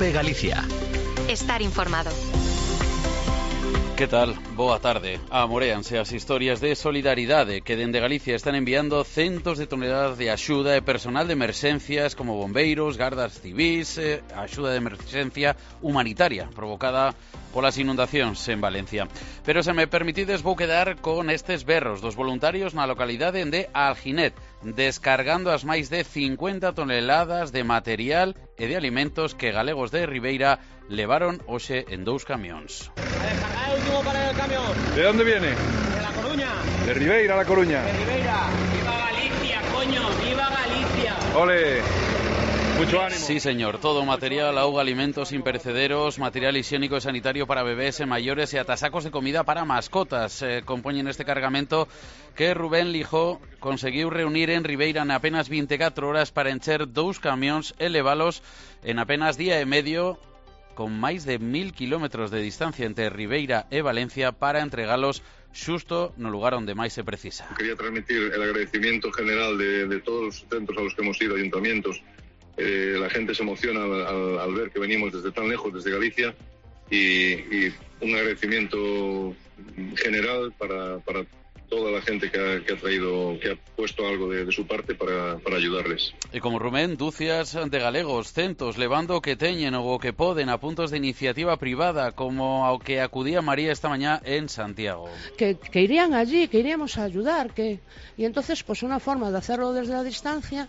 COPE Galicia. Estar informado. Que tal? Boa tarde. Amoréanse as historias de solidaridade que dende Galicia están enviando centos de toneladas de axuda e personal de emerxencias como bombeiros, gardas civís, axuda de emerxencia humanitaria provocada polas inundacións en Valencia. Pero se me permitides vou quedar con estes berros dos voluntarios na localidade de Alginet, descargando as máis de 50 toneladas de material e de alimentos que galegos de Ribeira levaron hoxe en 2 camións. El último para el camión. ¿De dónde viene? De La Coruña. De Ribeira, La Coruña. De Ribeira. ¡Viva Galicia, coño! ¡Viva Galicia! ¡Ole! Mucho ánimo. Sí, señor. Todo material, auga, alimentos imperecederos, material higiénico e sanitario para bebés e maiores e ata sacos de comida para mascotas. Compoñen este cargamento que Rubén Lijó conseguiu reunir en Ribeira en apenas 24 horas para encher 2 camións e levalos en apenas día e medio, con máis de 1000 kilómetros de distancia entre Ribeira e Valencia, para entregalos xusto no lugar onde máis se precisa. Quería transmitir el agradecimiento general de todos los centros a los que hemos ido, ayuntamientos. La gente se emociona al ver que venimos desde tan lejos, desde Galicia, y un agradecimiento general para toda la gente que ha puesto algo de su parte para ayudarles. E como Rubén, dúcias de galegos, centos, levando o que teñen ou o que poden a puntos de iniciativa privada, como ao que acudía María esta mañá en Santiago. Que irían allí, que iríamos a ayudar, y entonces pues una forma de hacerlo desde la distancia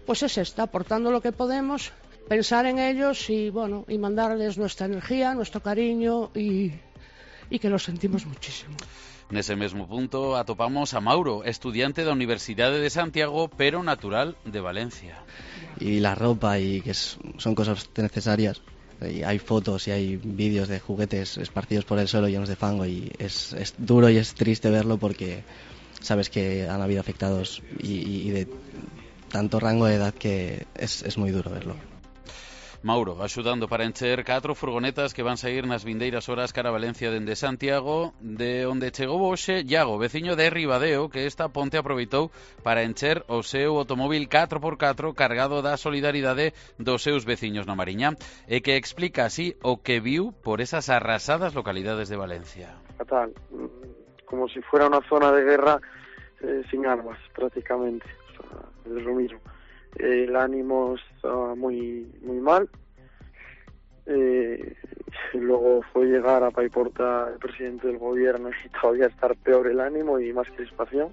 pues es esta, aportando lo que podemos, pensar en ellos y bueno, y mandarles nuestra energía, nuestro cariño y que los sentimos muchísimo. Nese mesmo punto atopamos a Mauro, estudiante da Universidade de Santiago, pero natural de Valencia. Y la ropa, y que son cosas necesarias. Y hay fotos y hay vídeos de juguetes esparcidos por el suelo llenos de fango, y es duro y es triste verlo porque sabes que han habido afectados y de tanto rango de edad que es muy duro verlo. Mauro, axudando para encher 4 furgonetas que van sair nas vindeiras horas cara a Valencia dende Santiago, de onde chegou hoxe Iago, veciño de Ribadeo, que esta ponte aproveitou para encher o seu automóvil 4x4 cargado da solidaridade dos seus veciños na Mariña, e que explica así o que viu por esas arrasadas localidades de Valencia. Fatal, como si fuera una zona de guerra sin armas, prácticamente. O sea, es lo mismo. El ánimo estaba muy mal. Luego fue llegar a Paiporta el presidente del gobierno y todavía estar peor el ánimo y más crispación.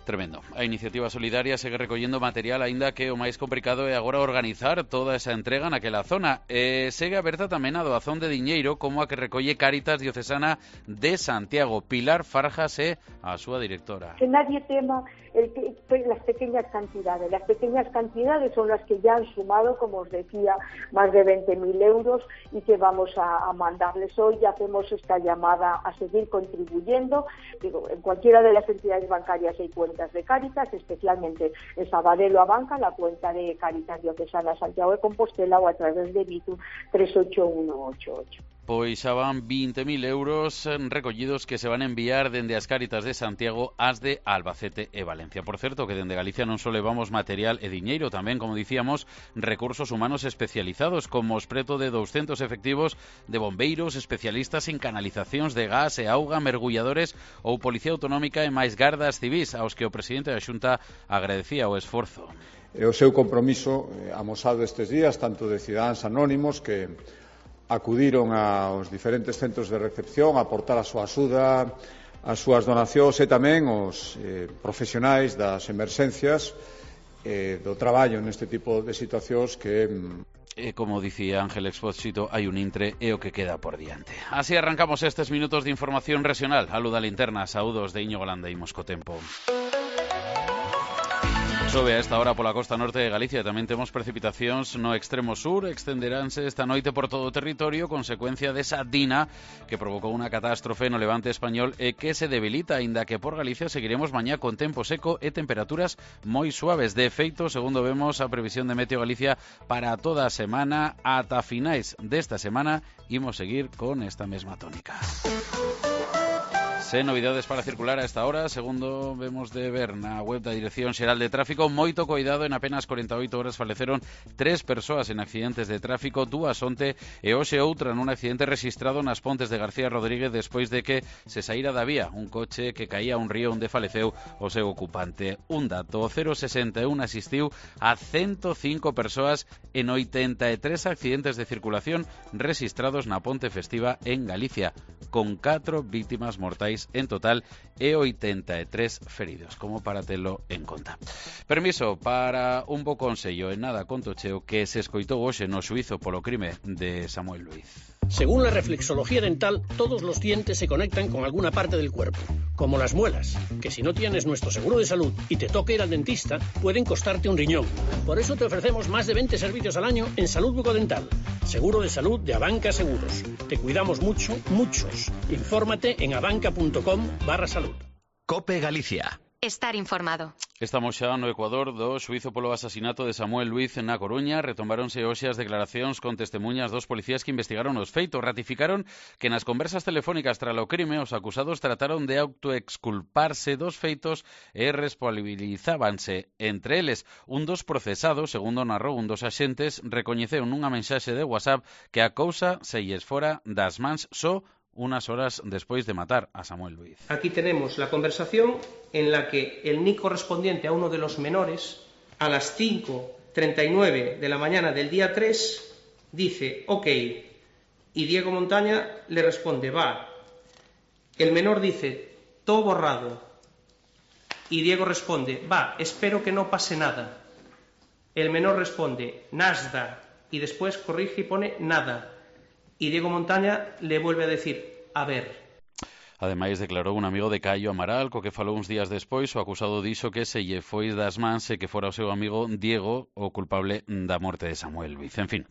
Tremendo. A iniciativa solidaria segue recollendo material, aínda que o máis complicado é agora organizar toda esa entrega naquela zona. Segue aberta tamén a doazón de diñeiro, como a que recolle Cáritas Diocesana de Santiago. Pilar Farjas é a súa directora. Que nadie tema las pequeñas cantidades. Las pequeñas cantidades son las que ya han sumado, como os decía, más de 20.000 euros, y que vamos a mandarles hoy. Ya hacemos esta llamada a seguir contribuyendo. Digo, en cualquiera de las entidades bancarias hay cuentas de Cáritas, especialmente en Sabadell a Banca, la cuenta de Cáritas Diocesana Santiago de Compostela, o a través de Bitu 381188. Pois xa van 20.000 euros recollidos que se van a enviar dende as Cáritas de Santiago ás de Albacete e Valencia. Por certo, que dende Galicia non só levamos material e diñeiro, tamén, como dicíamos, recursos humanos especializados, como os preto de 200 efectivos de bombeiros, especialistas en canalizacións de gas e auga, mergulladores ou policía autonómica e máis gardas civís, aos que o presidente da Xunta agradecía o esforzo. O seu compromiso amosado estes días, tanto de cidadáns anónimos que acudiron aos diferentes centros de recepción a aportar a súa axuda, as súas donacións, e tamén os profesionais das emerxencias do traballo neste tipo de situacións que... como dicía Ángel Expósito, hai un intre e o que queda por diante. Así arrancamos estes minutos de información regional. A Luda Linterna, saúdos de Íñigo Landa, imos co tempo. Chove a esta hora pola costa norte de Galicia. Tamén temos precipitacións no extremo sur. Extenderánse esta noite por todo o territorio, consecuencia desa dina que provocou unha catástrofe no levante español e que se debilita, aínda que por Galicia seguiremos mañá con tempo seco e temperaturas moi suaves. De feito, segundo vemos a previsión de Meteo Galicia para toda a semana, ata finais desta semana imos seguir con esta mesma tónica. Sen novidades para circular a esta hora, segundo vemos de ver na web da Dirección Xeral de Tráfico. Moito coidado, en apenas 48 horas faleceron 3 persoas en accidentes de tráfico, 2 onte e hoxe outra nun accidente registrado nas Pontes de García Rodríguez despois de que se saíra da vía un coche que caía a un río onde faleceu o seu ocupante. Un dato, o 061 asistiu a 105 persoas en 83 accidentes de circulación registrados na Ponte Festiva en Galicia, con 4 vítimas mortais en total e 83 feridos, como para telo en conta. Permiso para un bo consello en nada conto cheo que se escoitou hoxe no xuízo polo crime de Samuel Luiz. Según la reflexología dental, todos los dientes se conectan con alguna parte del cuerpo, como las muelas, que si no tienes nuestro seguro de salud y te toca ir al dentista, pueden costarte un riñón. Por eso te ofrecemos más de 20 servicios al año en salud bucodental. Seguro de salud de Abanca Seguros. Te cuidamos mucho, muchos. Infórmate en abanca.com/salud. COPE Galicia. Estar informado. Estamos xa no Ecuador do xuízo polo asasinato de Samuel Luiz na Coruña. Retomáronse hoxe as declaracións con testemunhas dos policías que investigaron os feitos. Ratificaron que nas conversas telefónicas tras o crime os acusados trataron de autoexculparse dos feitos e responsabilizábanse. Entre eles, un dos procesados, segundo narrou un dos axentes, recoñeceu nunha mensaxe de WhatsApp que a cousa se lles fora das mans só unas horas después de matar a Samuel Luiz. Aquí tenemos la conversación en la que el NIC correspondiente a uno de los menores, a las 5:39 de la mañana del día 3, dice ok, y Diego Montaña le responde va. El menor dice todo borrado, y Diego responde va, espero que no pase nada. El menor responde nasda, y después corrige y pone nada. Y Diego Montaña le vuelve a decir, a ver. Ademais, declarou un amigo de Caio Amaral, co que falou uns días despois, o acusado dixo que se lle foi das mans e que fora o seu amigo Diego o culpable da morte de Samuel Luiz. En fin,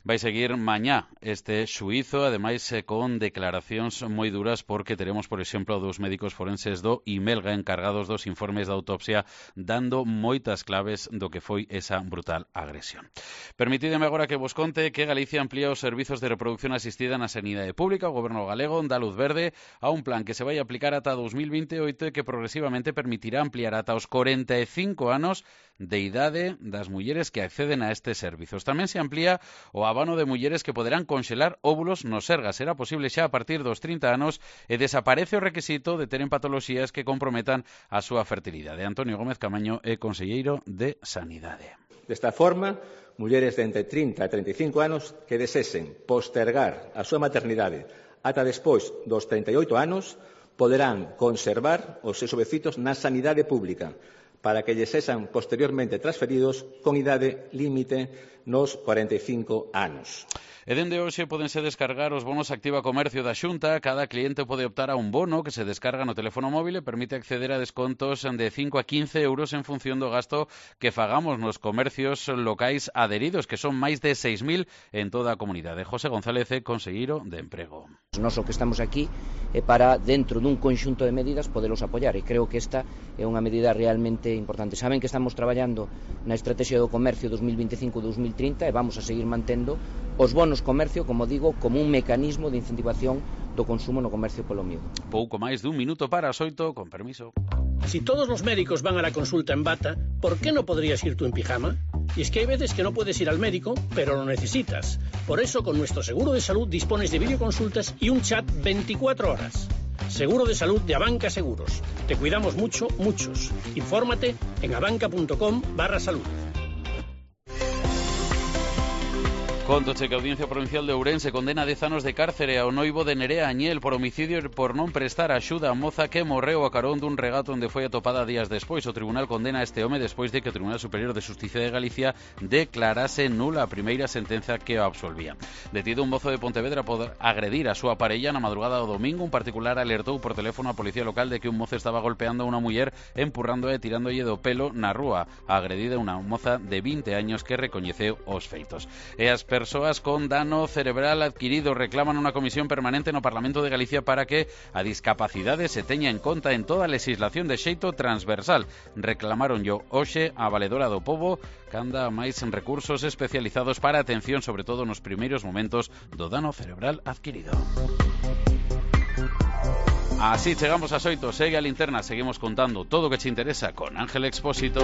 vai seguir mañá este xuízo, ademais con declaracións moi duras, porque teremos, por exemplo, dos médicos forenses do Imelga encargados dos informes da autopsia, dando moitas claves do que foi esa brutal agresión. Permitideme agora que vos conte que Galicia amplía os servizos de reproducción asistida na sanidade pública. O goberno galego dá luz verde a un plan que se vai aplicar ata 2028 e que progresivamente permitirá ampliar ata os 45 anos de idade das mulleres que acceden a estes servizos. Tamén se amplía o abano de mulleres que poderán conxelar óvulos no Sergas. Será posible xa a partir dos 30 anos e desaparece o requisito de teren patoloxías que comprometan a súa fertilidade. Antonio Gómez Camaño é conselleiro de Sanidade. Desta forma, mulleres de entre 30 e 35 anos que desesen postergar a súa maternidade ata despois dos 38 anos poderán conservar os seus ovecitos na sanidade pública para que lles sexan posteriormente transferidos con idade límite nos 45 anos. E dende hoxe pódense descargar os bonos Activa Comercio da Xunta. Cada cliente pode optar a un bono que se descarga no teléfono móvil e permite acceder a descontos de 5 a 15 euros en función do gasto que fagamos nos comercios locais adheridos, que son máis de 6.000 en toda a comunidade. José González, conselleiro de Emprego. Nós o que estamos aquí é para, dentro dun conxunto de medidas, podelos apoiar, e creo que esta é unha medida realmente importante. Saben que estamos traballando na Estrategia do Comercio 2025-2030 e vamos a seguir mantendo os bonos comercio, como digo, como un mecanismo de incentivación do consumo no comercio polo miúdo. Pouco máis dun minuto para as 8, con permiso. Si todos los médicos van a la consulta en bata, ¿por qué no podrías ir tú en pijama? Y es que hay veces que no puedes ir al médico, pero lo necesitas. Por eso, con nuestro seguro de salud dispones de videoconsultas y un chat 24 horas. Seguro de salud de Abanca Seguros. Te cuidamos mucho, muchos. Infórmate en abanca.com/salud. Contoche que a Audiencia Provincial de Ourense condena 10 anos de cárcere ao noivo de Nerea Añel por homicidio e por non prestar axuda a moza que morreu a carón dun regato onde foi atopada días despois. O tribunal condena a este home despois de que o Tribunal Superior de Xusticia de Galicia declarase nula a primeira sentenza que o absolvía. Detido un mozo de Pontevedra por agredir a súa parella na madrugada do domingo, un particular alertou por teléfono a policía local de que un mozo estaba golpeando a unha muller, empurrándoa e tirándolle do pelo na rúa. A agredida unha moza de 20 años que recoñeceu os feitos. E as persoas con dano cerebral adquirido reclaman unha comisión permanente no Parlamento de Galicia para que a discapacidade se teña en conta en toda a legislación de xeito transversal. Reclamaron yo hoxe a Valedora do Pobo canda máis en recursos especializados para atención, sobre todo nos primeiros momentos do dano cerebral adquirido. Así chegamos ás 8, segue a linterna, seguimos contando todo o que che interesa con Ángel Expósito.